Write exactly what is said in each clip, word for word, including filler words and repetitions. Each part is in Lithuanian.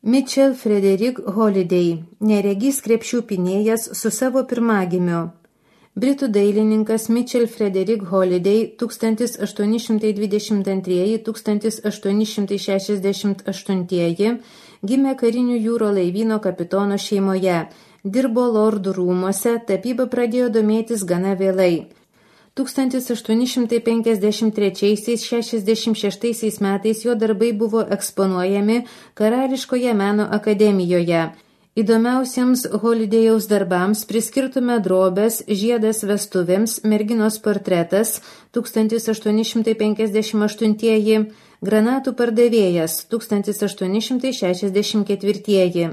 Mitchell Frederick Holiday, neregys krepšių pynėjas su savo pirmagimiu. Britų dailininkas Mitchell Frederick Holiday tūkstantis aštuoni šimtai dvidešimt antri - tūkstantis aštuoni šimtai šešiasdešimt aštunti gimė karinių jūro laivyno kapitono šeimoje, dirbo lordų rūmuose, tapyba pradėjo domėtis gana vėlai. tūkstantis aštuoni šimtai penkiasdešimt treči - šešiasdešimt šešti metais jo darbai buvo eksponuojami Karališkoje meno akademijoje. Įdomiausiems Holidayaus darbams priskirtume drobės, žiedas vestuvėms, merginos portretas tūkstantis aštuoni šimtai penkiasdešimt aštunti, granatų pardavėjas tūkstantis aštuoni šimtai šešiasdešimt ketvirti.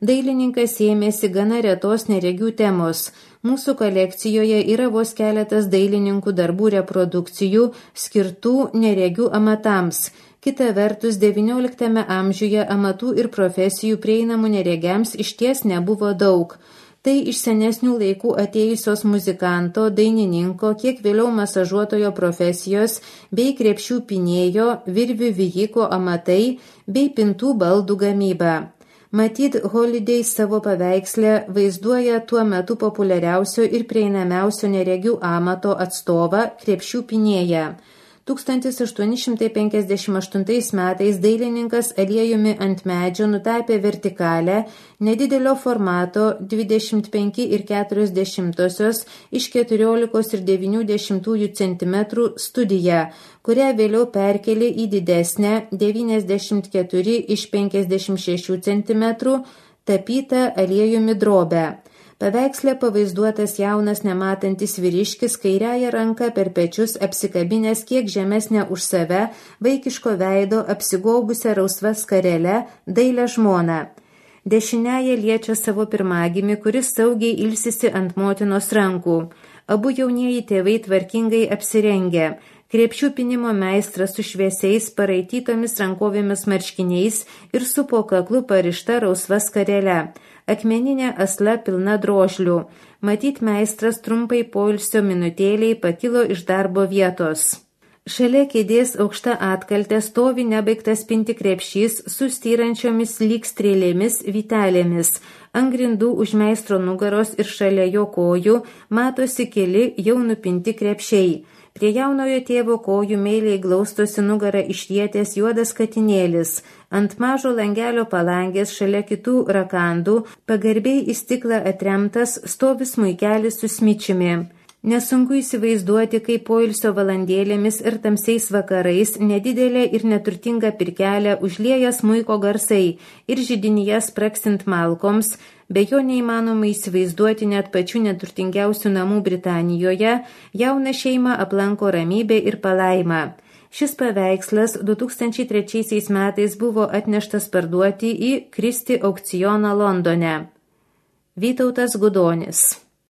Dailininkas ėmėsi gana retos neregių temos. Mūsų kolekcijoje yra vos keletas dailininkų darbų reprodukcijų skirtų neregių amatams. Kita vertus, devynioliktame amžiuje amatų ir profesijų prieinamų neregiams išties nebuvo daug. Tai iš senesnių laikų atėjusios muzikanto, dainininko, kiek vėliau masažuotojo profesijos bei krepšių pynėjo, virvių vijiko amatai bei pintų baldų gamyba. Matyt, Holiday savo paveiksle vaizduoja tuo metu populiariausio ir prieinamiausio neregių amato atstovą krepšių pynėją. tūkstantis aštuoni šimtai penkiasdešimt aštuntais metais dailininkas aliejumi ant medžio nutapė vertikalę, nedidelio formato dvidešimt penki ir keturios dešimtosios iš keturiolikos ir devynių dešimtųjų centimetrų studiją, kurią vėliau perkelė į didesnę devyniasdešimt keturi iš penkiasdešimt šešių centimetrų tapytą aliejumi drobę. Paveiksle pavaizduotas jaunas nematantis vyriškis kairiąją ranką per pečius apsikabinęs kiek žemesnę už save, vaikiško veido apsigobusią rausva skarele, dailią žmoną. Dešiniąją liečia savo pirmagimį, kuris saugiai ilsisi ant motinos rankų. Abu jaunieji tėvai tvarkingai apsirengę. Krepšių pynimo meistras su šviesiais paraitytomis rankovėmis marškiniais ir su po kaklu parišta rausva skarele. Akmeninė asla pilna drožlių. Matyt, meistras trumpai poilsio minutėliai pakilo iš darbo vietos. Šalia kėdės aukšta atkaltė stovi nebaigtas pinti krepšys su styrančiomis lyg strėlėmis vytelėmis. Ant grindų už meistro nugaros ir šalia jo kojų matosi keli jau nupinti krepšiai. Prie jaunojo tėvo kojų meiliai glaustosi nugarą išrietęs juodas katinėlis. Ant mažo langelio palangės šalia kitų rakandų pagarbiai į stiklą atremtas stovi smuikelis su smičiumi. Nesunku įsivaizduoti, kaip poilsio valandėlėmis ir tamsiais vakarais nedidelė ir neturtinga pirkelė užlieja smuiko garsai ir židinyje spraksint malkoms, be jo neįmanoma įsivaizduoti net pačių neturtingiausių namų Britanijoje, jauną šeimą aplanko ramybė ir palaima. Šis paveikslas du tūkstančiai trečiaisiais metais buvo atneštas parduoti į Christie aukcioną Londone. Vytautas Gudonis.